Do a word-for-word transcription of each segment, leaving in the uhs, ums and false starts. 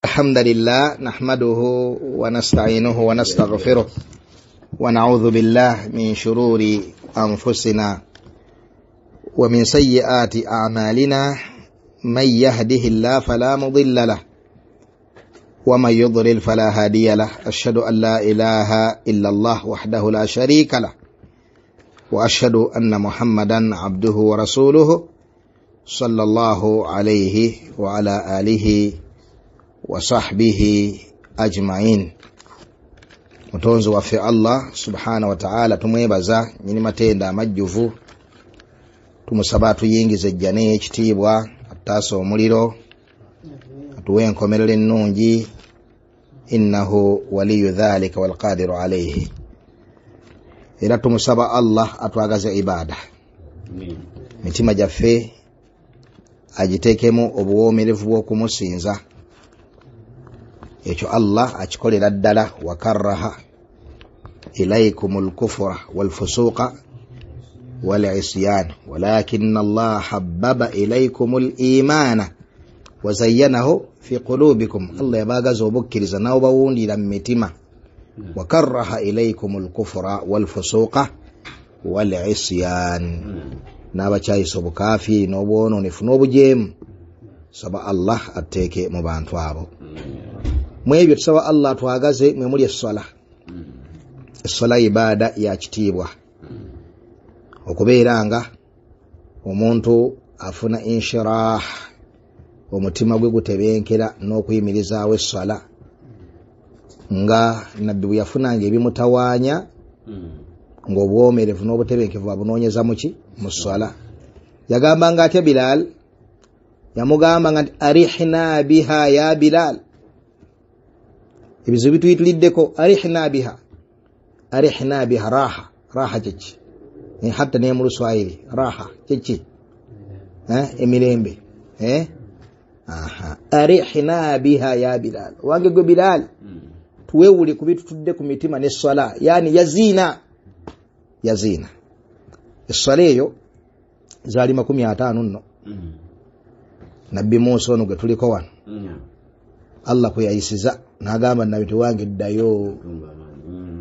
الحمد لله نحمده ونستعينه ونستغفره ونعوذ بالله من شرور أنفسنا ومن سيئات أعمالنا من يهده الله فلا مضل له ومن يضلل فلا هادي له أشهد أن لا إله إلا الله وحده لا شريك له وأشهد أن محمدا عبده ورسوله صلى الله عليه وعلى آله وصحبه أجمعين. Mutonzi waffe Allah subhanahu wa ta'ala tumwebaza nyini matenda amajjuvu, tumusaba atuyingize ejjana ey'ekitiibwa, atutaase omuliro, atuwe enkomerero ennungi, innahu waliyu dhalika walqadiru alayhi. Era tumusaba Allah atwagaze ibada, mitima gyaffe agiteekemu obuwoomerevu bw'okumusinza. Ekyo Allah akikolera ddala. Wakarraha ilaykumul kufra wal fusuqa wal isyan walakinna Allah habbaba ilaykumul imana wa zayyanahu fi qulubikum. Allah yabaagaza obukkiriza n'obawundira mu mitima. Wakarraha ilaykumul kufra wal fusuqa wal isyan, n'abakyayisa obukaafiri n'obwonoonefu n'obujeemu. Saba Allah atteeke mu bantu abo. Mu ebyo tusaba Allah atwagaze mwe muli esswala. Esswala ibada ya kitiibwa, okubeera nga omuntu afuna inshirah, omutima gwe gutebenkera n'okuyimirizaawo esswala, nga nabbi bwe yafunanga ebimutawaanya ng'obwomerevu n'obutebenkevu abunoonyeza muki mu sswala. Yagambanga atya Bilal? Yamugambanga nti arihna biha ya Bilal, ebizibu bituyituliddeko. Arihna biha, arihna biha, raha. Raha kyeki? Hatta ne mu Luswahili raha kyeki? Emirembe. Aha, arihna biha ya Bilal, wange gwe Bilal, tuwewule ku bitutudde ku mitima n'esswala. Yani yazina, yazina esswala eyo zaali makumi ataano nno. Nabbi Musa ono gwe tuliko wano, Allah kwe yayisiza n'agamba nabbi tiwange ddayo,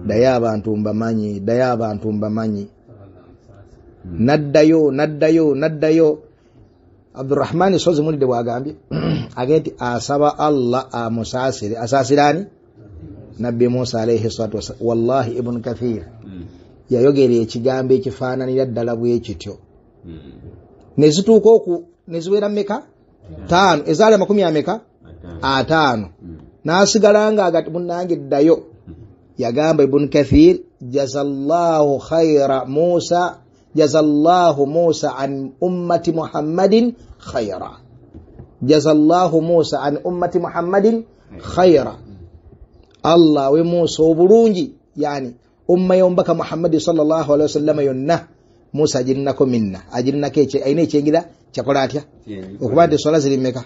ddayo abantu mbamanyi, ddayo abantu mbamanyi. Naddayo, naddayo, naddayo. Abdurrahmani Sozi mulidde bw'agambye agambye nti asaba Allah amusaasire. Asaasire ani? Nabbi Musa alayhi salatu wassalam. Wallahi Ibn Kathir yayogera ekigambo ekifaananira ddala bwe kityo. Ne zituuka oku ne ziwera mmeka? Taano. Ezaali amakumi ameka? Ataano. N'asigala nga agati munnange ddayo. Yagamba Ibn Kathir, jazallahu khayra Musa, jazallahu Musa an ummati Muhammadin khayra, jazallahu Musa an ummati Muhammadin khayra. Allah we Musa obulungi, yani umma y'omubaka Muhammadi sallallahu alaihi wasallam yonna Musa agirinako minna, agirinako alina ekyengera kyakola atya? Okuba nti eswala ziri mmeka?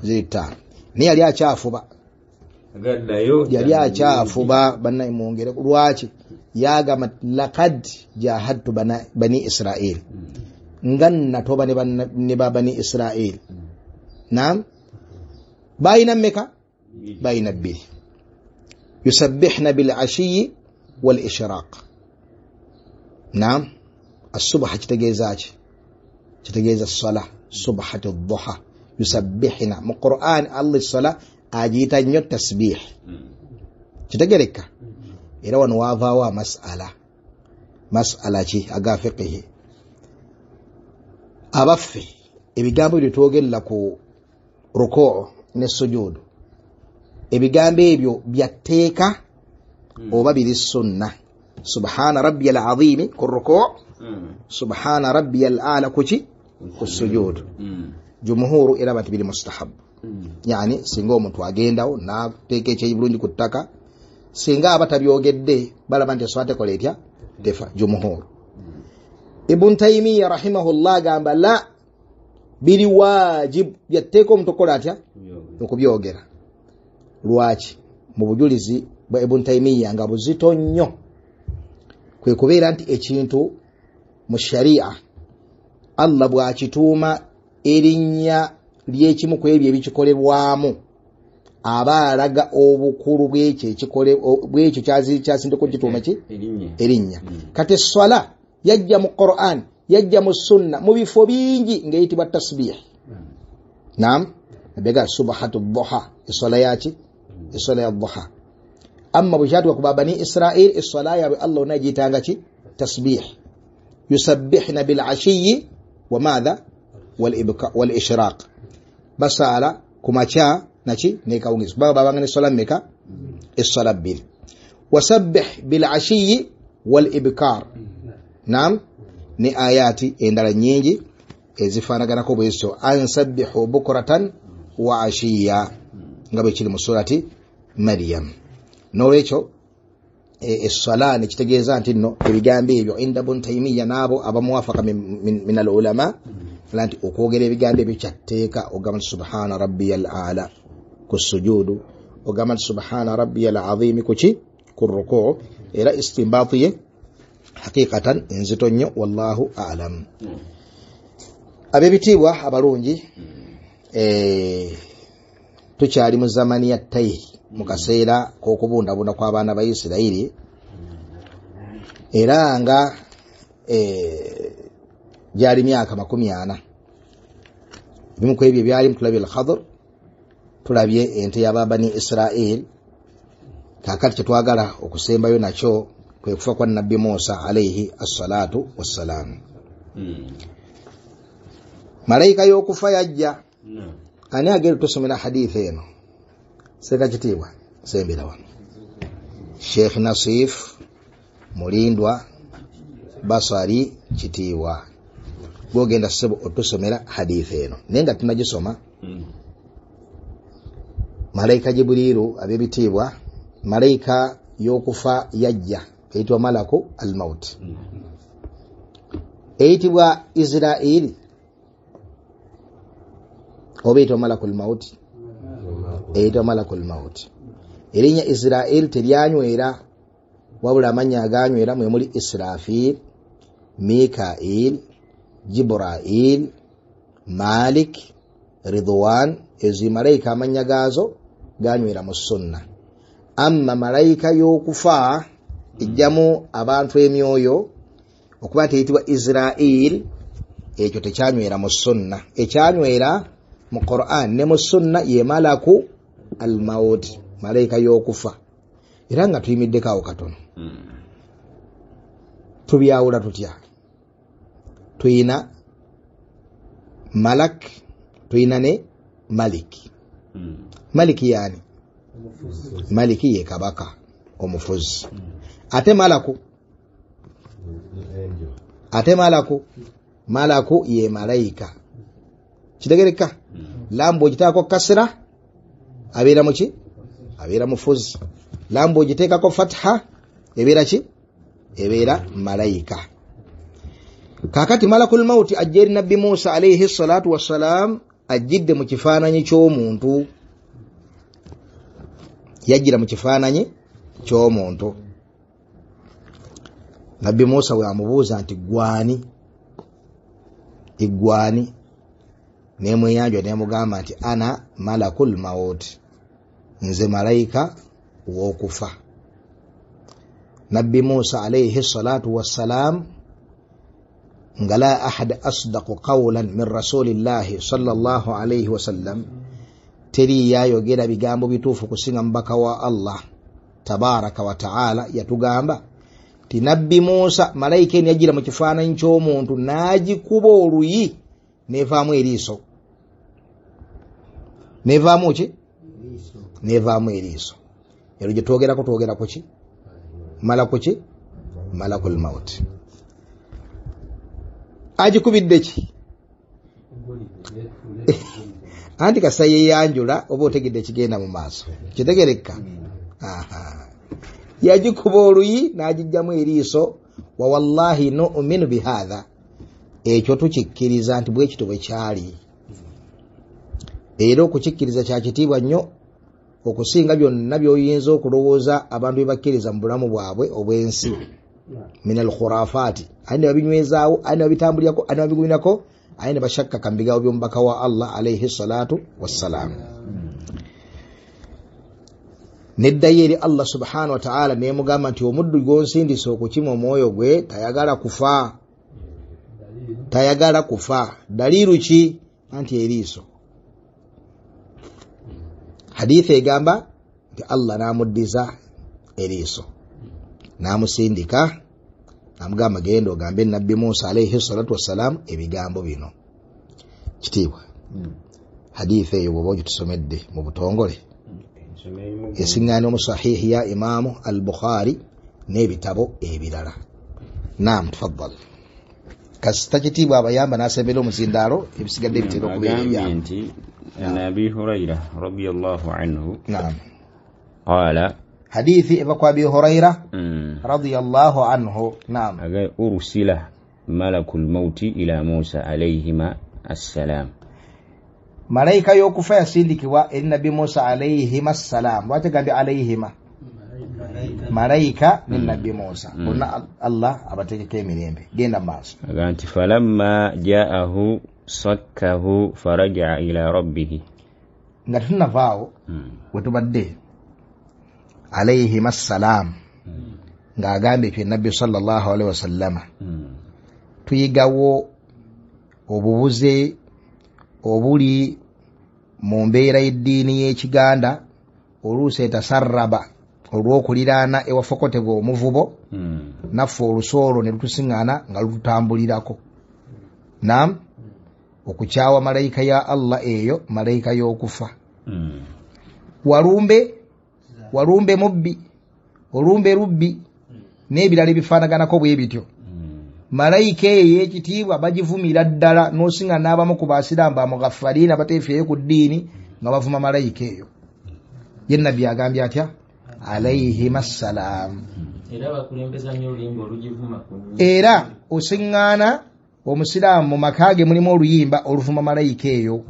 Ziri ttaano. Naye yali akyafuba, yali akyafuba. Bannaye mwongere. Lwaki? Yagamba laqad jahadtu bani Israil, nga nnatoba ne ba bani Israil. Naam, bayina mmeka? Bayina bbiri. Yusabbihna bil ashiyi wal ishraq. Naam, as-subha kitegeeza ki? Kitegeeza ssala, subhatu duha. Yusabbihna mu Qur'an Allah essala agiyita nnyo tasbih. Kitegereka? Era wano wavaawo amasala. Masala ki aga fiqhi? Abaffe ebigambo ebyo twogerera ku rukuu ne sujudu, ebigambo ebyo byatteeka oba biri sunna? Subhana rabbiyal azimi ku rukuu, subhana rabbiyal a'la kuki ku sujudu. Jumhuru era bati biri mustahab. Yani singa omuntu agendawo n'ateeka ekyeyi bulungi ku ttaka, singa aba tabyogedde balaba nti eswala tekola etya? Tefa. Jumhuru. Ibn Taymiya rahimahullah agamba la, biri wajib, byatteeka omuntu okukola atya? Okubyogera. Lwaki? Mu bujulizi bwa Ibn Taymiya nga buzito nnyo, kwe kubeera nti ekintu mu sharia Allah bw'akituuma erinnya ly'ekimu ku ebyo ebikikolebwamu, Aba alaga obukulu bw'ekyo ekikole bw'ekyo kyasindeko kituuma ki erinnya. Kati esswala yajja mu Qur'an, yajja mu sunna mu bifo bingi ng'eyitibwa tasbih. Naam, nabega subhatu dhuha, esswala yaki esswala ya dhuha. Amma bwe kyatuka ku Bani Israil, esswala yaabwe Allah onagiyitanga ki tasbih. Yusabbihna bil ashiyi wa madha wal ishraq, basaala ku makya naki nekawungizi, kubanga babanga neswala mmeka? Esswala bbiri. Wasabbih bil ashiyi wal ibkar. Naam, ne ayati endala nyingi ezifaanaganako bwezityo, ansabbihu bukratan wa ashiya, nga bwe kiri mu surati Maryam. N'olwekyo esswala nekitegeeza nti nno ebigambo ebyo inda Ibn Taymiya n'abo abamuwafaka min al ulama nti okwogera ebigambo ebyo kyatteeka. Ogamba nti subhana rabbiyal a'la ku sujudu, ogamba nti subhana rabbiyal azimi kuki ku rukuu. Era istimbaati ye hakikatan enzito nnyo, wallahu a'lam. Ab'ebitiibwa abalungi, tukyali mu zamani ya Tayhi, mu kaseera k'okubundabunda kw'abaana ba Isirayiri, era nga gyali myaka makumi ana. Ebimu ku ebyo byalimu tulabye al-Khadr, tulabye ente y'Ababani Israel. Kaakati kyetwagala okusembayo nakyo kwe kufa kwa Nabbi Musa alayhi assalatu wassalam. Malayika y'okufa yajja. Ani agenda tusomera hadithi eno? Seka kitiibwa sembera wano. Sheikh Nasif Mulindwa Basari Kitiibwa, gwogenda ssebo otusomera hadithi eno, naye nga tunagisoma. Malayika Jibriilu ab'ebitiibwa, malayika y'okufa yajja eyitibwa malaku al-maut, eyitibwa Israili oba eyitibwa malakul maut? Eyitibwa malakul maut. Erinnya Israili teryanywera, wabula amannya aganywera mwe muli Israfil, Mikail, Jibrail, Malik, Ridwan. Ezo malayika amannya gaazo ganywera mu sunna. Amma malayika y'okufa ejjamu abantu emyoyo okuba nti eyitibwa Israil, ekyo tekyanywera mu sunna. Ekyanywera mu Qur'an ne mu sunna ye malaku al-maut, malayika y'okufa. Era nga tuyimiddeko awo katono, tubyawula tutya? Tuyina malak, tuyina ne maliki. Maliki yani maliki ye kabaka omufuzi. Ate malaku, ate malaku, malaku ye malayika. Kitegereka? Lambu ogiteekako kasira abeera muki? Abeera mufuzi. Lambu ogiteekako fatha ebeera ki? Ebeera malayika. Kaakati malakul mauti ajja eri Nabbi Musa alayhi salatu wassalam, ajjidde mu kifaananyi ky'omuntu. Yajjira mu kifaananyi ky'omuntu. Nabbi Musa bwe amubuuza nti gwani, igwani, nemweyanjwa nemugamba nti ana malakul maut, nze malayika w'okufa. Nabbi Musa alayhi salatu wassalam nga la ahad asdaqu qawlan min rasulillahi sallallahu alayhi wasallam, teri yayogera bigambo bituufu kusinga mubaka wa Allah tabaraka wa taala. Yatugamba ti Nabbi Musa malayika eno yajjira mu kifaananyi ky'omuntu n'agikuba oluyi nevaamu eriiso. Nevaamu ki? Nevaamu eriiso. Ero gye twogerako twogerako ki? Malaku ki? Malakul maut. Agikubidde ki? Anti kasa yeyanjula oba otegedde ekigenda mu maaso. Kitegereka? Aha. Yagikuba oluyi n'agijjamu eriiso. Wa wallahi nu'minu bihadha, ekyo tukikkiriza nti bwe kityo bwe kyali. Era okukikkiriza kya kitiibwa nnyo okusinga byonna by'oyinza okulowooza abantu bye bakkiriza mu bulamu bwabwe obw'ensi. Min al-khurafati, aye ne babinywezaawo, aye ne babitambulirako, aye ne babigumirako, aye ne bashakkaka mu bigambo by'omubaka wa Allah alayhi salatu wassalam. Neddayo eri Allah subhanahu wa ta'ala nemugamba nti omuddu gw'onsindise okukima omwoyo gwe tayagala kufa, tayagala kufa. Daliiru ki? Anti eriiso. Hadithi egamba nti Allah n'amuddiza eriiso n'amusindika n'amugamba genda ogambe Nabbi Musa alayhi salatu wassalam ebigambo bino. Kitiibwa hadithi eyo bw'oba ogitusomedde mu butongole esiŋŋaana mu sahihi ya Imaamu al-Bukhari n'ebitabo ebirala. Naam, tafaddal. Kasita kitiibwa abayamba n'asembera omuzindaalo ebisigadde bitera okubeera ebyabwe. Nti an Abi Hurayra radiyallahu anhu naam qala, hadithi eva kwa Abi Hurayra radiyallahu anhu naam, ursila malakul mauti ila Musa alayhima assalam, malayika y'okufa yasindikibwa eri Nabbi Musa alayhima assalam. Lwaki agambye alayhima? Malayika ne Nabbi Musa bonna Allah abateekeko emirembe. Genda maaso. Aga nti falamma ja'ahu sakkahu faraja'a ila rabbihi, nga tetunnavaawo wetubadde alayhima assalam ng'agambye ekyo Nabbi sallallahu alaihi wasallama, tuyigawo obubuze obuli mu mbeera y'eddiini y'Ekiganda oluusi etasarraba olw'okuliraana ewafokotebwa omuvubo naffe olusu olwo ne lutusiŋŋaana nga lututambulirako. Naam, okukyawa malayika ya Allah eyo malayika y'okufa. Walumbe walumbe mubbi, olumbe lubbi n'ebirala ebifaanaganako bwe bityo. Malayika eyo ey'ekitiibwa bagivumira ddala n'osinga n'abamu ku basiraamu bamughafaliina bateefeeyo ku ddiini nga bavuma malayika eyo. Ye Nabbi agambye atya? Alayhima assalam. Era osiŋŋaana omusiraamu mu maka ge mulimu oluyimba oluvuma malayika eyo.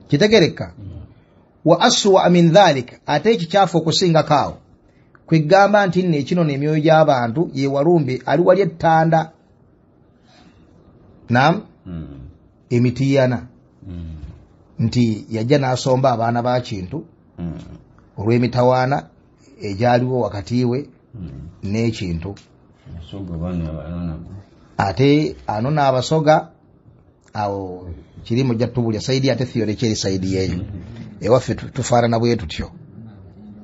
Kitegereka. Wa aswa min dhalika, ate ekikyafu okusingako awo kwegamba nti nno ekino n'emyoyo gy'abantu ye walumbe ali wali ettanda naam emitiyana nti yajja n'asomba abaana ba Kintu olw'emitawaana egyaliwo wakati we n'ekintu. Ate anona abasoga awo kirimu jja tubulya saidi ate theory kyeri saidi yeeyo ewaffe tufaanana bwe tutyo.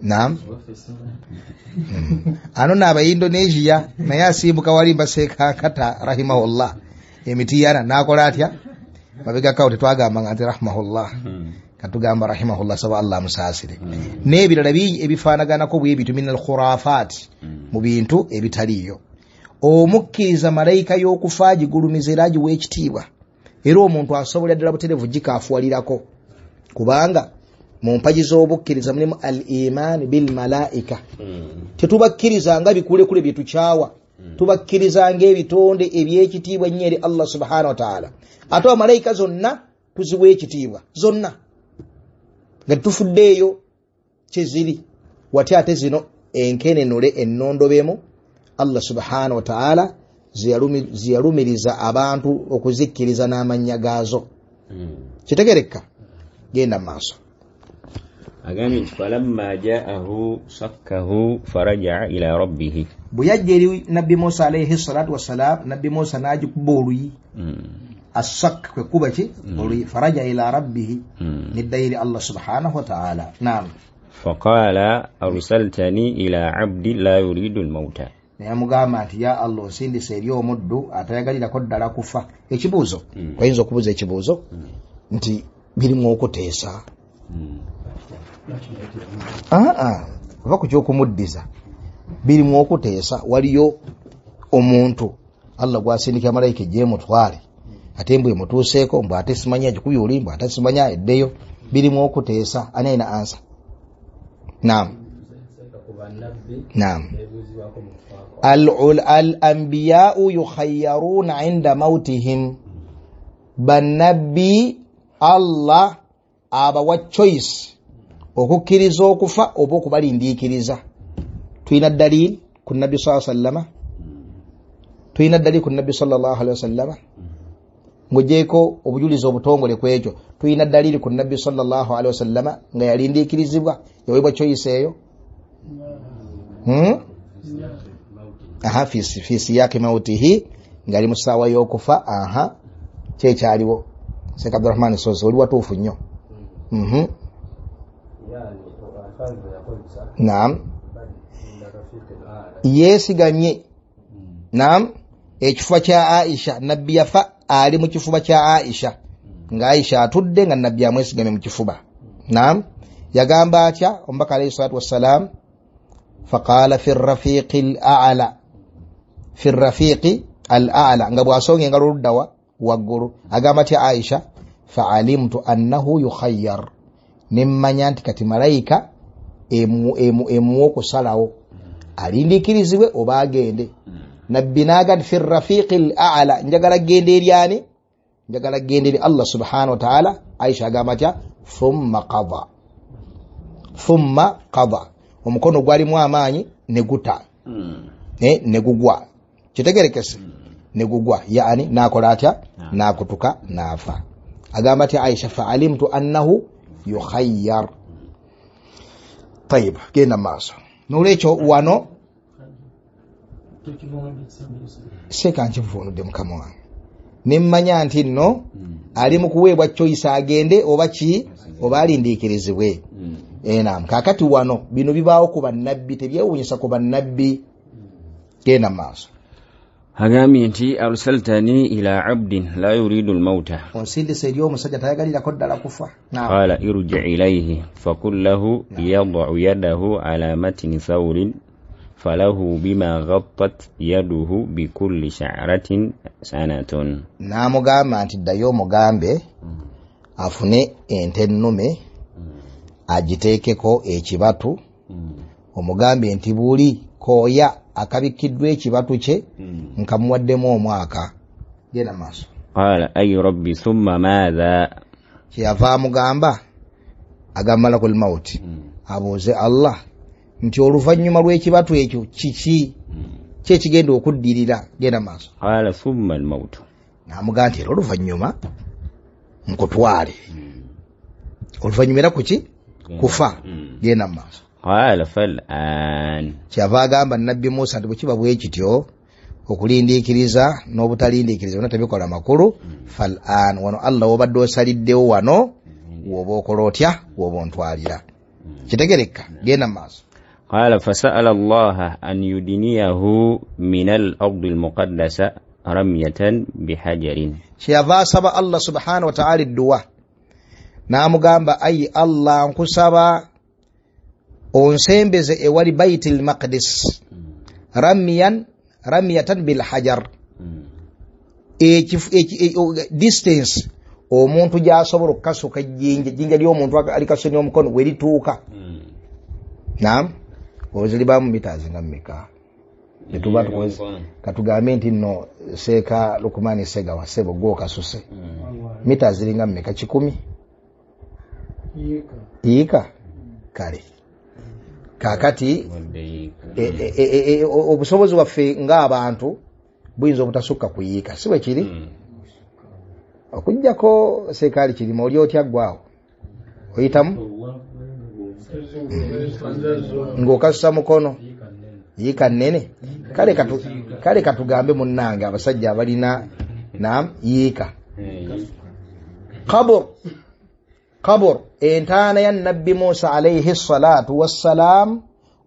Naam, anona abaindonesia naye asimbuka wali mbaseekakata rahimahullah emitiyana n'akola atya mabegakawo tetwagambanga nti rahimahullah, katugamba rahimahullah saba Allah amusaasire. N'ebirala bingi ebifaanaganako bwe bityo min al-khurafat, mu bintu ebitaliiyo. Omukkiriza malayika y'okufa agigulumiza era agiwa ekitiibwa, era omuntu asobola ddala butereevu gikaafuwalirako, kubanga mu mpagi z'obukkiriza mulimu al-iman bil malaika. Tetubakkiriza nga bikulekule bye tukyawa, tubakkiriza ng'ebitonde eby'ekitiibwa ennyo eri Allah subhanahu wa ta'ala. Ate bamalayika zonna tuziwa ekitiibwa zonna nga tetufuddeeyo kyeziri watya, ate zino enkenenule ennondobemu Allah subhanahu wa ta'ala ziyalumiriza abantu okuzikkiriza n'amannya gaazo. Kitegereka. Genda maaso. Agambye nti falamma ja'ahu sakkahu faraja'a ila rabbihi, bwe yajja eri Nabbi Musa alayhi salatu wassalam, Nabbi Musa n'agikuba oluyi. Assak kwe kuba ki oluyi, faraja ila rabbihi, neddayo eri Allah subhanahu wa ta'ala. Naam. Faqala arsaltani ila abdi la yuridu almauta, naye amugamba nti ya Allah osindise eri omuddu atayagalirako ddala kufa. Ekibuuzo oyinza okubuuza ekibuuzo nti birimu okuteesa aa oba ku kyokumuddiza birimu okuteesa. Waliyo omuntu Allah gwasindika malayika ejje emutwale ate mbwe emutuuseeko mbw ate simanya agikubye oli mbw ate simanya eddeyo. Birimu okuteesa. Ani alina ansa? Naam, naam. Al-anbiya'u yukhayyaruna inda mautihim, bannabbi Allah abawa choice okukkiriza okufa oba okubalindiikiriza. Tulina dalili ku Nabbi sallallahu alaihi wasallama, tulina dalili ku Nabbi sallallahu alaihi wasallama. Ng'ogyeko obujulizi obutongole ku ekyo, tulina dalili ku Nabbi sallallahu alaihi wasallama nga yalindiikirizibwa, yaweebwa choice eyo. Hmm? Aha, fi fi siyaqi mautihi, ngali mu ssaawa y'okufa. Aha, kyekyaliwo. Sheikh Abdurrahman Sozi oli watuufu nnyo. Mhm. Naam, yeesigamye naam ekifuba kya Aisha. Nabbi yafa ali mu kifuba kya Aisha, nga Aisha atudde nga Nabbi amwesigamye mu kifuba. Naam, yagamba atya omubaka alayhi salatu wassalam? Faqala fi rafiqi al-a'la, fi rafiqi al-a'la, nga bw'asonga engalo oluddawa waggulu. Agamba atya Aisha? Fa'alimtu annahu yukhayyar, nemmanya nti kati malayika emuwa okusalawo alindiikirizibwe oba agende. Nabbi n'agamba fi rafiqi al-a'la, njagala genda eri ani? Njagala genda eri Allah subhanahu wa ta'ala. Aisha agamba atya? Thumma qada, thumma qada, omukono gwalimu amaanyi ne guta ne ne gugwa, kitegerekese, ne gugwa, yaani n'akola atya? N'akutuka n'afa. Agamba atya Aisha? Fa'alimtu annahu yukhayyar. Tayib, genda maaso. Nolwekyo wano seeka nkivuunudde mukama wange, nemmanya nti nno ali mu kuweebwa choice agende oba ki oba alindiikirizibwe. Enam, kaakati wano bino bibaawo ku bannabbi, tebyewuunyisa ku bannabbi. Genda maaso. Agambye nti arsaltani ila abdin la yuridu almauta, onsindise eri omusajja tayagalirako ddala kufa. Qala irji ilayhi faqul lahu yad'u yadahu ala matni thawrin falahu bima ghattat yaduhu bikulli sha'ratin sanatun. N'amugamba nti ddayo omugambe afune ente ennume agiteekeko ekibatu, omugambe nti buli kooya akabikkiddwa ekibatu kye nkamuwaddemu omwaka. Genda maaso. Qala ay rabbi thumma madha, kyeyava amugamba agamba malakul mauti abuuze Allah nti oluvannyuma lw'ekibatu ekyo kiki ki ekigenda okuddirira. Genda maaso. Qala thumma al-maut, n'amugamba nti era oluvannyuma nkutwale. Oluvannyuma era kuki? Kufa. Genda maaso. Qala fal-an, kyava agamba Nabbi Musa nti bwe kiba bwe kityo okulindiikiriza n'obutalindiikiriza byonna tebikola makulu. Fal-an, wano Allah wobadde osaliddewo wano woba okola otya, woba ontwalira. Kitegereka. Genda maaso. Qala fasa'ala Allaha an yudiniyahu min al-ardi al-muqaddasa ramyatan bihajarin, kyeyava asaba Allah subhanahu wa ta'ala edduwa n'amugamba ayi Allah nkusaba onsembeze ewali Baitul Maqdis ramyan ramyatan bil hajar, distance omuntu gy'asobola okukasuka ejjinja, ejjinja ly'omuntu alikasonye omukono we lituuka. Naam, oziribamu mitazi nga mmeka? Tetuba tukoze katugambe nti nno Seeka Lukumani Segawa sebo gw'okasuse mita ziringa mmeka? Kikumi yiika. Kale kaakati obusobozi bwaffe ng'abantu buyinza obutasukka kuyiika, si bwe kiri? Okuggyako seekaali kirima oli otya ggwawo oyitamu ng'okasusa mukono yiika nnene. Kale katu kale katugambe munnange abasajja abalina naam yiika. Qabr, qabr entaana ya Nabbi Musa alayhi salatu wassalam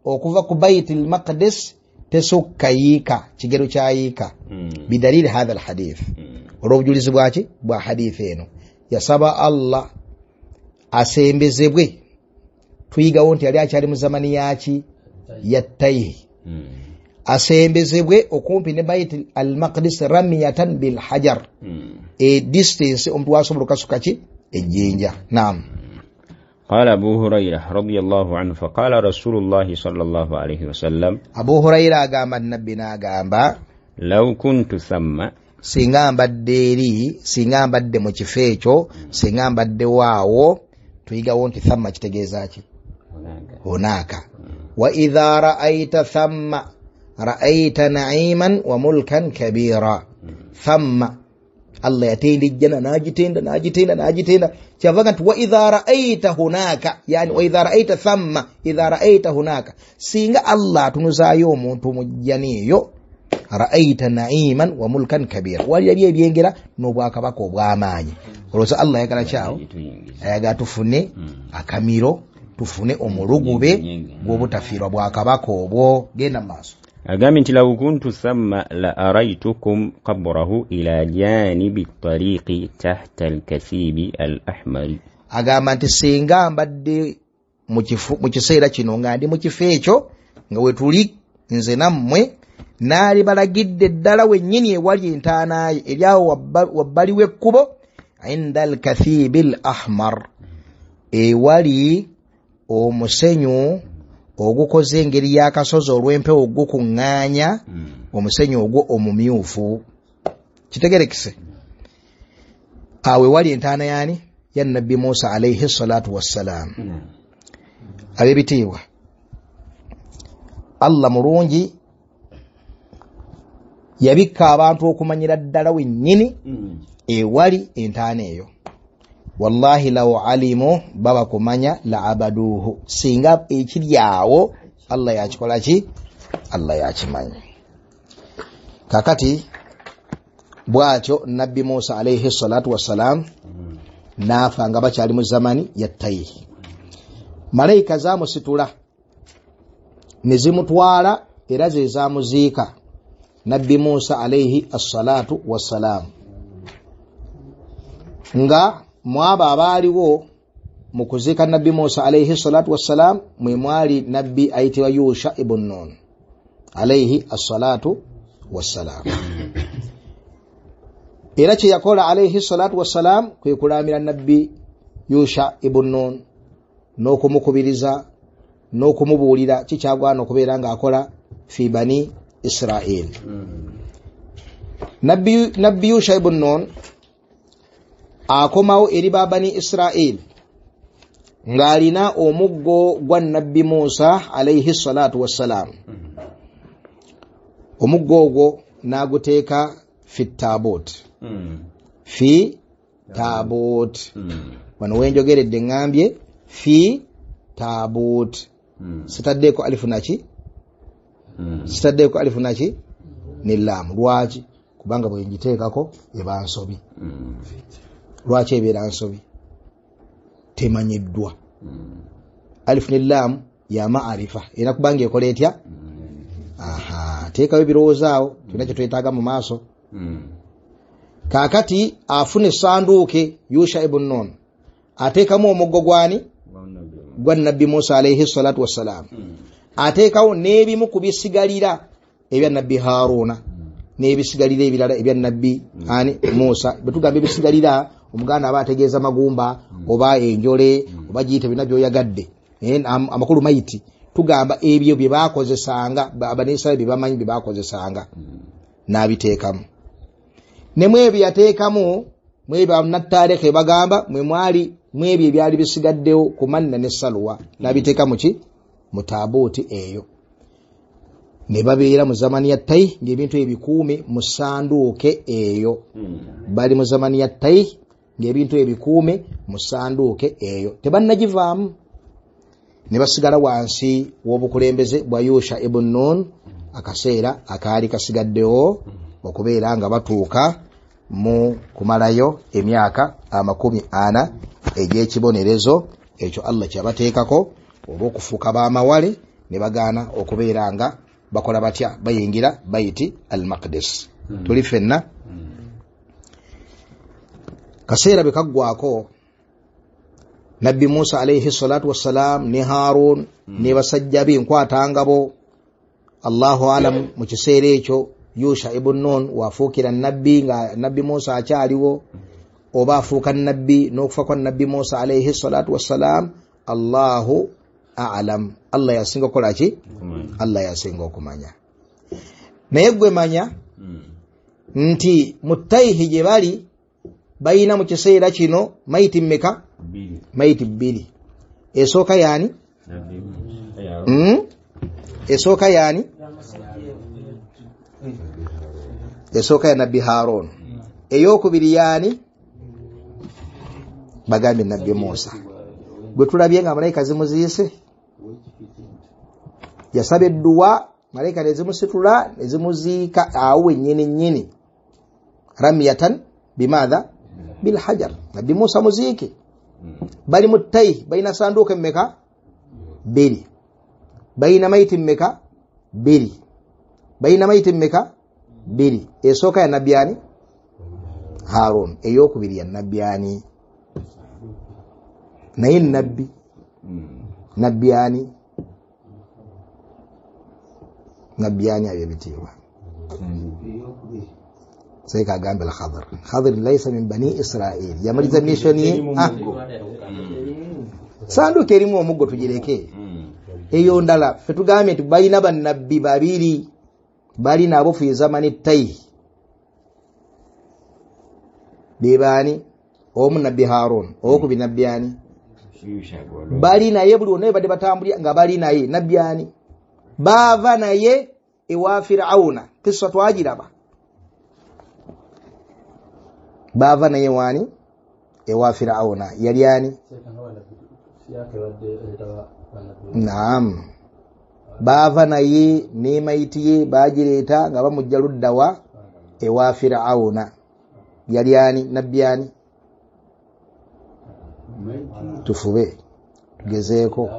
okuva ku Baitul Maqdis tesukka yiika, kigero kya yiika, bidalili hadha alhadith, olw'obujulizi bwaki bwa hadithi eno. Yasaba Allah asembezebwe. Tuyigawo nti yali akyali mu zamani yaki ya Tayhi, asembezebwe okumpi ne Bait al-Maqdis ramyatan bil hajar, e distance omuntu wasobola okukasuka ki ejjinja. Naam. Qala Abu Hurairah radiyallahu anhu faqala Rasulullah sallallahu alayhi wasallam, Abu Hurairah agamba Nabbi n'agamba law kuntu thamma, singa mbadde eri, singa mbadde mu kifo ekyo, singa mbadde waawo. Tuyigawo nti thamma kitegeeza ki? Hunaka. Wa idha ra'ayta thamma ra'ayta na'iman wa mulkan kabira. Thamma Allah yatenda ejjana n'agitenda n'agitenda n'agitenda, kyavaga nti wa idha ra'aita hunaka, yani wa idha ra'aita thamma, idha ra'aita hunaka, singa Allah atunuzaayo omuntu mu jjana eyo, ra'aita na'iman wa mulkan kabira, walirabye ebyengera n'obwakabaka obw'amaanyi. Olowooza Allah ayagala kyawo, ayagala tufune akamiro, tufune omulugube gw'obutafiirwa bwakabaka obwo. Genda mu maaso. Agambye nti law kuntu thamma la araitukum qabrahu ila janibi tariqi tahta alkathibi al ahmari. Agamba nti singa mbadde mu kiseera kino nga ndi mu kifo ekyo nga wetuli nze nammwe, naali balagidde ddala wennyini ewali entaana ye eri awo wabbali w'ekkubo, inda alkathibi al ahmar, ewali omusenyu ogukoze engeri y'akasozi olw'empewo gukuŋŋaanya omusenyu ogwo omumyufu. Kitegerekese awo ewali entaana yaani ya Nabbi Musa alayhi salatu wassalam. Ab'ebitiibwa, Allah mulungi yabikka abantu okumanyira ddala wennyini ewali entaana eyo. Wallahi law alimu, baba kumanya, la abaduhu, singa ekiri awo Allah yakikola ki? Allah yakimanyi. Kakati bwatyo Nabbi Musa alayhi salatu wassalam n'afa nga bakyali mu zamani ya Tayihi. Malayika zamusitula ne zimutwala era ze zamuziika Nabbi Musa alayhi assalatu wassalam, nga mwaba abaaliwo mu kuziika Nabbi Musa alayhi salatu wassalam mwe mwali Nabbi ayitibwa Yusha ibn Nun alayhi assalatu wassalam. Era kye yakola alayhi salatu wassalam kwe kulamira Nabbi Yusha ibn Nun n'okumukubiriza n'okumubuulira kikyagwana okubeera ng'akola fi bani Israel. Nabbi, Nabbi Yusha ibn Nun akomawo eri ba bani Israel ng'alina omuggo gwa Nabbi Musa alayhi salatu wassalam. Omuggo ogwo n'aguteeka fi taabut, fi taabut. Wano wenjogeredde ŋŋambye fi taabut, sitaddeeko alifu naki, sitaddeeko alifu naki ne laamu. Lwaki? Kubanga bwe ngiteekako eba nsobi. Lwaki ebeera nsobi? Temanyiddwa. Alifu ne laamu ya maarifa, era kubanga ekola etya? Aha, teekawo ebirowoozo awo, tulina kye twetaaga mu maaso. Kaakati afuna essanduuke Yusha ibn Nun, ateekamu omuggo gwani? Gwa Nabbi Musa alayhi salatu wassalam. Ateekawo n'ebimu ku bisigalira ebya Nabbi Haruna n'ebisigalira ebirala ebya Nabbi ani Musa. Bwe tugamba ebisigalira, omuganda aba ategeeza magumba oba enjole oba giyite byonna by'oyagadde, amakulu mayiti. Tugamba ebyo bye baakozesanga abanisirairi bye bamanyi bye baakozesanga, n'abiteekamu. Ne mu ebyo yateekamu, mu ebyo bannattaarikhe bagamba mwe mwali mu ebyo ebyali bisigaddewo ku manna ne saluwa, n'abiteeka mu ki? Mu taabuuti eyo. Ne babeera mu zamani ya Tayi ng'ebintu ebikuume mu ssanduuke eyo. Bali mu zamani ya Tayi ng'ebintu ebikuume mu ssanduuke eyo, tebannagivaamu. Ne basigala wansi w'obukulembeze bwa Yusha ibn Nun akaseera akaali kasigaddewo okubeera nga batuuka mu kumalayo emyaka amakumi ana egy'ekibonerezo ekyo Allah kyabateekako olw'okufuuka b'amawale ne bagaana okubeera nga bakola batya, bayingira Baiti al-Maqdis. Tuli ffenna. Kaseera bwe kaggwako, Nabbi Musa alayhi salatu wassalam ne Harun ne basajja be nkwatangabo, Allahu alam, mu kiseera ekyo Yusha ibn Nun wafuukira nabbi nga Nabbi Musa akyaliwo, oba afuuka nabbi n'okufa kwa Nabbi Musa alayhi salatu wassalam, Allahu a'lam. Allah yasinga okukola ki? Allah yasinga okumanya. Naye gwe manya nti mu Tayihi gye bali bayina mu kiseera kino mayiti mmeka? Mayiti bbiri. Esooka yaani? Mm? Esooka yaani? Esooka ya Nabbi Harun. Eyokubiri yaani? Bagambye Nabbi Musa gwe tulabye nga malayika zimuziise, yasaba edduwa malayika nezimusitula nezimuziika awo wennyini nnyini, ramyatan bimadha bilhajar. Nabbi Musa muziike. Bali mu ttayi, balina sanduuka emmeka? Bbiri. Balina mayiti mmeka? Bbiri. Balina mayiti mmeka? Bbiri. Esooka ya Nabbi ani? Harun. Eyokubiri ya Nabbi ani? Naye Nabbi Nabbi ani? Nabbi ani ab'ebitiibwa? Seeka agambe al-Khadir. Khadir laysa min bani Israil. Yamaliza mission ye. Ah. Sanduuko erimu omuggo tugireke. Eyo ndala ffe tugambye nti balina bannabbi babiri bali nabo fi zamani ttayi. Be baani? Omu Nabbi Harun, owokubiri Nabbi ani? Bali naye buli wonna badde batambulira nga bali naye Nabbi ani? Baava naye ewa Fir'auna. Kissa twagiraba. Baava naye wani? Ewa Fir'auna. Yali ani? Naam. Baava naye n'emayiti ye bagireeta nga bamujja ludda wa ewa Fir'auna. Yali ani? Nabbi ani? Tufube tugezeeko.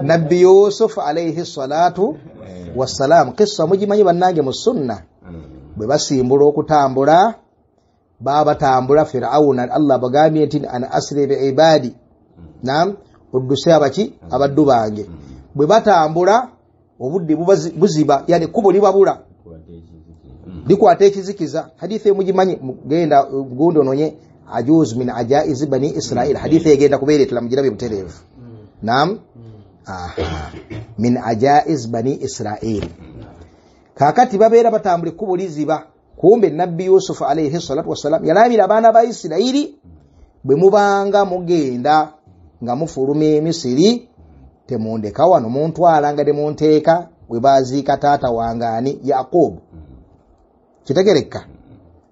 Nabbi Yusuf alayhi salatu wassalam. Kissa mugimanyi bannange mu sunna. Bwe basimbula okutambula baba batambula Fir'auna Allah bagambye nti ana asri bi ibadi. Naam, odduse abaki abaddu bange. Bwe batambula obudde buziba, yani kubo libabula likwata ekizikiza. Hadithi mugimanyi, genda gundo nonye ajuz min ajaiz bani Israil. Hadithi egenda kubeeretera mugirabe butereevu. Naam, aha, min ajaiz bani Israil. Kakati babeera batambula ekkubo liziba. Kumbe Nabbi Yusuf alayhi salatu wassalam yalabira abaana ba Isirairi, bwe mubanga mugenda nga mufuluma Emisiri temundeka wano, muntwala nga temunteeka we baziika taata wange ani? Yaqubu. Kitegereka.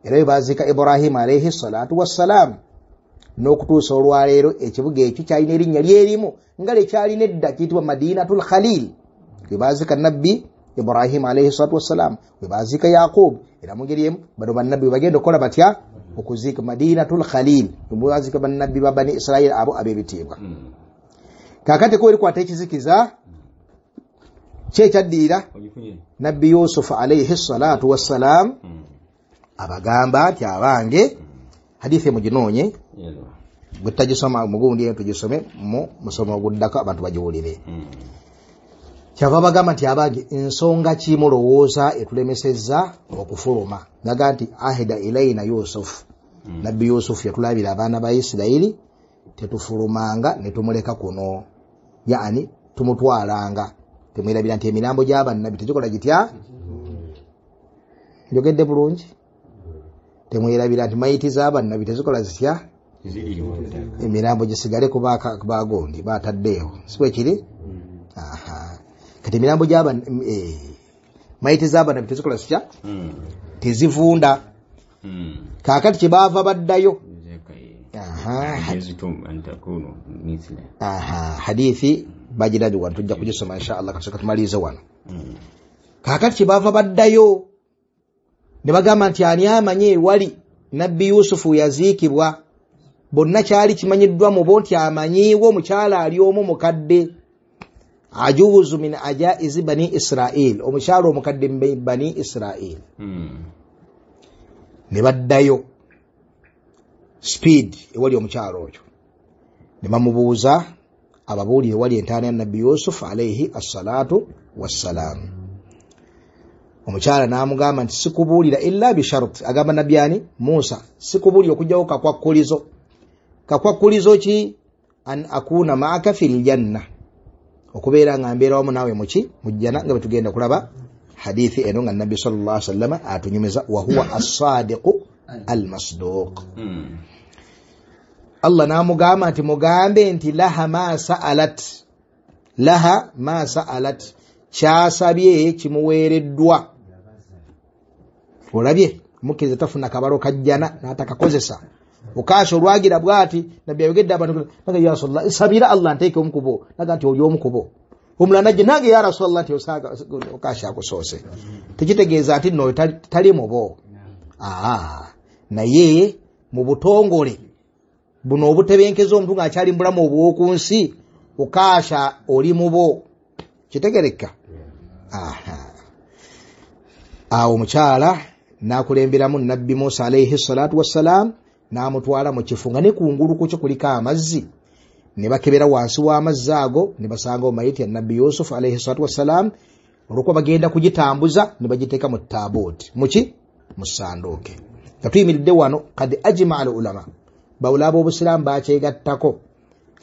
Era we baziika Ibrahim alayhi salatu wassalam. N'okutuusa olwaleero ekibuga ekyo kyalina erinnya lyerimu nga lyekyalina edda, kiyitibwa Madinatul Khalil. We baziika Nabbi Ibrahim alayhi salatu wassalam, we baziika Yaqubu. Era mu ngeri emu bano bannabbi we bagenda okukola batya? Okuziika Madinatul Khalil, we baziika bannabbi ba Bani Israil abo ab'ebitiibwa. Kakati ko erikwata ekizikiza kyekyaddiira Nabbi Yusuf alayhi salatu wassalam abagamba nti abange, hadithi muginoonye bwe tutagisoma mugundi eno tugisome mu musomo oguddako abantu bagiwulire. Kyava bagamba nti abange, ensonga ki mulowooza etulemesezza okufuluma? Naga nti ahida ilaina Yusuf. Nabbi Yusuf yatulabira abaana ba Isirayiri tetufulumanga ne tumuleka kuno, yaani tumutwalanga. Temwerabira nti emirambo gy'abannabbi tegikola gitya? Njogedde bulungi? Temwerabira nti mayiti z'abannabbi tezikola zitya? Emirambo gisigale ku bagondi bataddeewo, si bwe kiri? Aha. Kati emirambo gy'aba eh, mayiti z'abannabbi tezikola zitya? Tezivunda. Kaakati kye baava baddayo. Aha, hadithi bagirabi wano tujja kugisoma insha Allah, kasooka tumalirize wano. Kaakati kye baava baddayo ne bagamba nti ani amanyi ewali Nabbi Yusufu yaziikibwa? Bonna kyali kimanyiddwa mu bo nti amanyiiwo omukyala ali omu mukadde, ajuzu min ajaizi bani Israil, omukyala omukadde mu bani Israil. Ne baddayo speed ewali omukyala oyo ne bamubuuza ababuulire ewali entaana ya Nabbi Yusuf alayhi assalatu wassalam. Omukyala n'amugamba nti sikubuulira illa bishart. Agamba Nabbi ani? Musa, sikubuulira okugyawo kakwakkulizo. Kakwakkulizo ki? An akuna ma'aka fil janna, okubeera nga mbeera wamu naawe muki? Mu jjana, nga bwe tugenda kulaba hadithi eno nga Nabbi sallallahu alaihi wasallam atunyumiza, wa huwa as-sadiqu al-masduq. Allah n'amugamba nti mugambe nti laha ma sa'alat, laha ma sa'alat, kyasabye kimuweereddwa. Olabye mukkiriza tafuna kabalo kajjana n'atakakozesa. Okasha olwagira bwati nabbi ayogedde abantu naga ya Rasulullah sabira Allah nteeke omukubo, naga nti oli omukubo. Omulala najja nange ya Rasulullah nti osaaga okasha akusoose. Tekitegeeza nti nno tali mubo. Aa, naye mu butongole buno obutebenkeza omuntu ng'akyali mu bulamu obw'oku nsi, okasha oli mubo. Kitegereka? Aha. Awo omukyala n'akulemberamu Nabbi Musa alayhi salatu wassalam n'amutwala mu kifo nga ne kungulu ku kyo kuliko amazzi, ne bakebera wansi w'amazzi ago ne basanga omayiti ya Nabbi Yusuf alayhi salatu wassalam. Olwokuba bagenda kugitambuza ne bagiteeka mu taabuuti, muki mu ssanduuke. Nga tuyimiridde wano, kad ajmaa al ulama, bawula ab'obusiraamu bakyegattako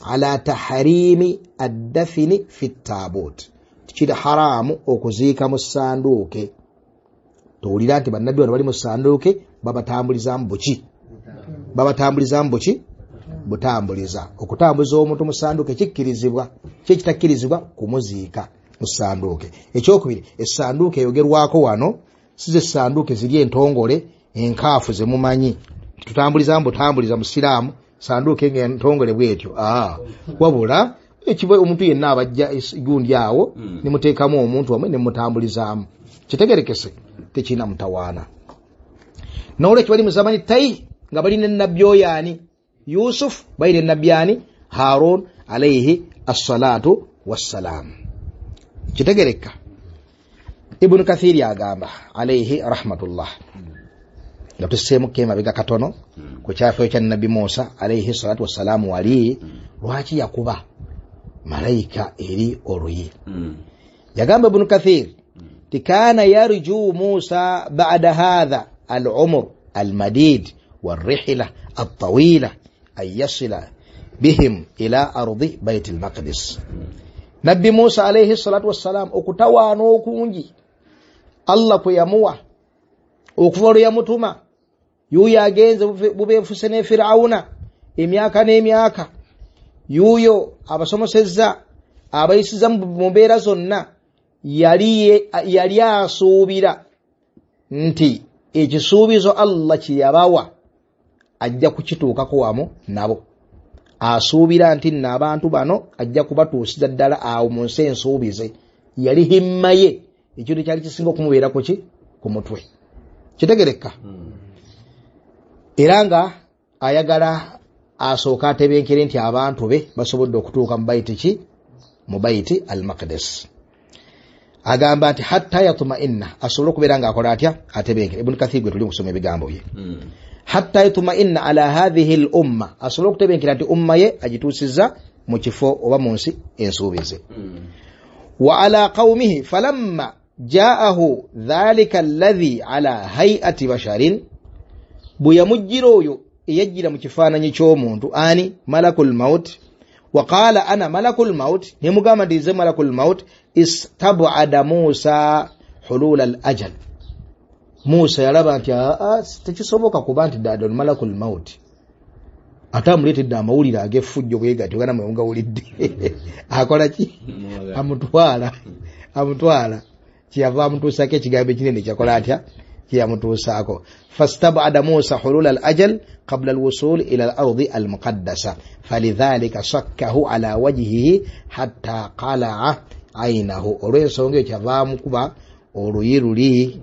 ala taharimi addafini fi taabuuti, kiri haramu okuziika mu ssanduuke. Towulira nti bannabbi bano bali mu ssanduuke babatambulizaamu buki? Babatambulizaamu buki? Butambuliza. Okutambuza omuntu mu ssanduuke kikkirizibwa, ki ekitakkirizibwa kumuziika mu ssanduuke. Ekyokubiri, essanduuke eyogerwako wano si ze ssanduuke ziri entongole enkaafu ze mumanyi, tutambulizaamu butambuliza musiraamu ssanduuke ng'entongole bwetyo. Aa, wabula ekiva omuntu yenna abajja gundi awo ne muteekamu omuntu wamwe ne mutambulizaamu. Kitegerekese, tekirina mutawaana. N'olwekyo bali mu zamani tayi nga bali ne nabbi oyo ani? Yusuf, bali ne nabbi ani? Harun alayhi assalatu wassalam. Kitegereka. Ibn Kathir agamba alayhi rahmatullah, nga tusseemuko emabega katono ku kyafaayo kya Nabbi Musa alayhi salatu wassalam, wali lwaki yakuba malayika eri oluyi. Yagamba Ibn Kathir ti kana yarju Musa ba'da hadha al-umr al-madid والرحلة الطويلة أن يصل بهم إلى أرض بيت المقدس. Nabbi Musa alayhi salatu wassalam okutawaana okungi Allah kwe yamuwa okuva lwe yamutuma, yuuyo agenze bubeefuse ne Firawuna emyaka n'emyaka, yuuyo abasomosezza abayisiza mu mbeera zonna, yali yali asuubira nti ekisuubizo Allah kye yabawa ajja kukituukako wamu nabo. Asuubira nti nno abantu bano ajja kubatuusiza ddala awo mu nsi ensuubize. Yali himma ye, ekintu kyali kisinga okumubeerako ki? Ku mutwe. Kitegereka. Era nga ayagala asooka atebenkere nti abantu be basobodde okutuuka mu baiti ki? Mu baiti al-Maqdis. Agamba nti hatta yatma'inna, asobole okubeera ng'akola atya? Atebenkere. Ibn Kathir gwe tuli kusoma ebigambo bye. Hatta yatma'inna ala hadhihi al-umma, asobole okutebenkera nti umma ye agituusizza mu kifo oba mu nsi ensuubize. Wa ala qawmihi falamma ja'ahu dhalika alladhi ala hay'ati basharin, bwe yamujjira oyo eyajjira mu kifaananyi ky'omuntu ani? Malakul maut. Wa qala ana malakul maut, ne mugamba nti nze malakul maut. Istab'ada Musa hulul al ajal, Musa yalaba nti aa tekisoboka kuba nti ddala malakul maut ate amuleetedde amawulire ag'effujjo bwe gatyo gana mwe mugawulidde akola ki? Amutwala, amutwala kyeyava amutuusaako ekigambo ekinene kyakola atya? Kyeyamutuusaako. Fastab'ada Musa hulul al ajal qabla alwusul ila al-ardi al-muqaddasa falidhalika sakkahu ala wajhihi hatta qala'a aynahu. Olw'ensonga eyo kyava amukuba oluyi luli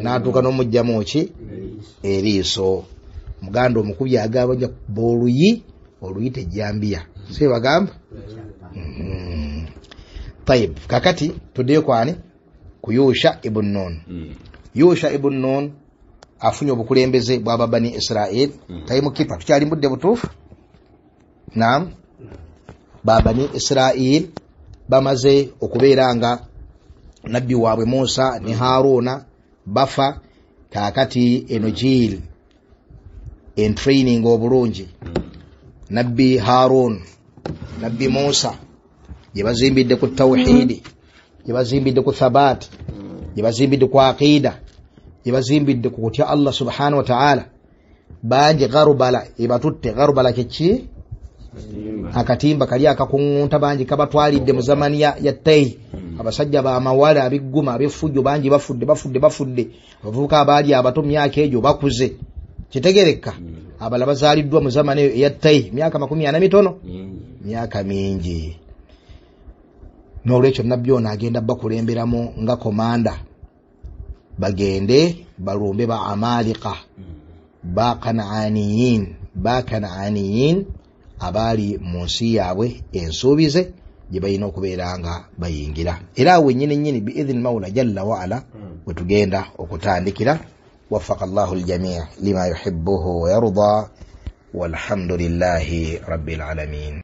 n'atuuka n'omuggyamu ki? Eriiso. Muganda omukubi agamba nja kuba oluyi, oluyi tejjambiya, si bagamba? Tayib, kakati tuddeyo kwani? Ku Yusha ibn Nun. Yusha ibn Nun afunye obukulembeze bwa Bani Israel. Tayimu kipa tukyali mbudde butuufu. Naam, Bani Israel bamaze okubeera nga nabbi waabwe Musa ne Haruna bafa. Kaakati eno jiil en training obulungi nabbi Harun, nabbi Musa gye bazimbidde ku tawhidi, gye bazimbidde ku thabaati, gye bazimbidde ku aqida, gye bazimbidde ku kutya Allah subhanahu wa ta'ala. Bangi gharubala ebatutte. Gharubala kiki? Akatimba kali akakuŋŋunta, bangi kabatwalidde mu zamani ya, ya Tei. Abasajja b'amawale abigguma ab'effujjo bangi bafudde bafudde bafudde. Abavubuka abaali abato myaka egyo bakuze, kitegereka. Abalala bazaaliddwa mu zamani eyo eya Tei, myaka makumi ana mitono, myaka mingi. N'olwekyo nabbi ono agenda bakulemberamu nga komanda, bagende balumbe ba Amalika, ba Kanaaniyin, ba Kanaaniyin abaali mu nsi yaabwe ensuubize gye balina okubeera nga bayingira. Era awo wennyini nnyini biidhini Mawula jalla waala we tugenda okutandikira. Waffaka Allahu aljamii lima yuhibbuhu wa yarda, walhamdulillahi rabbil alamin.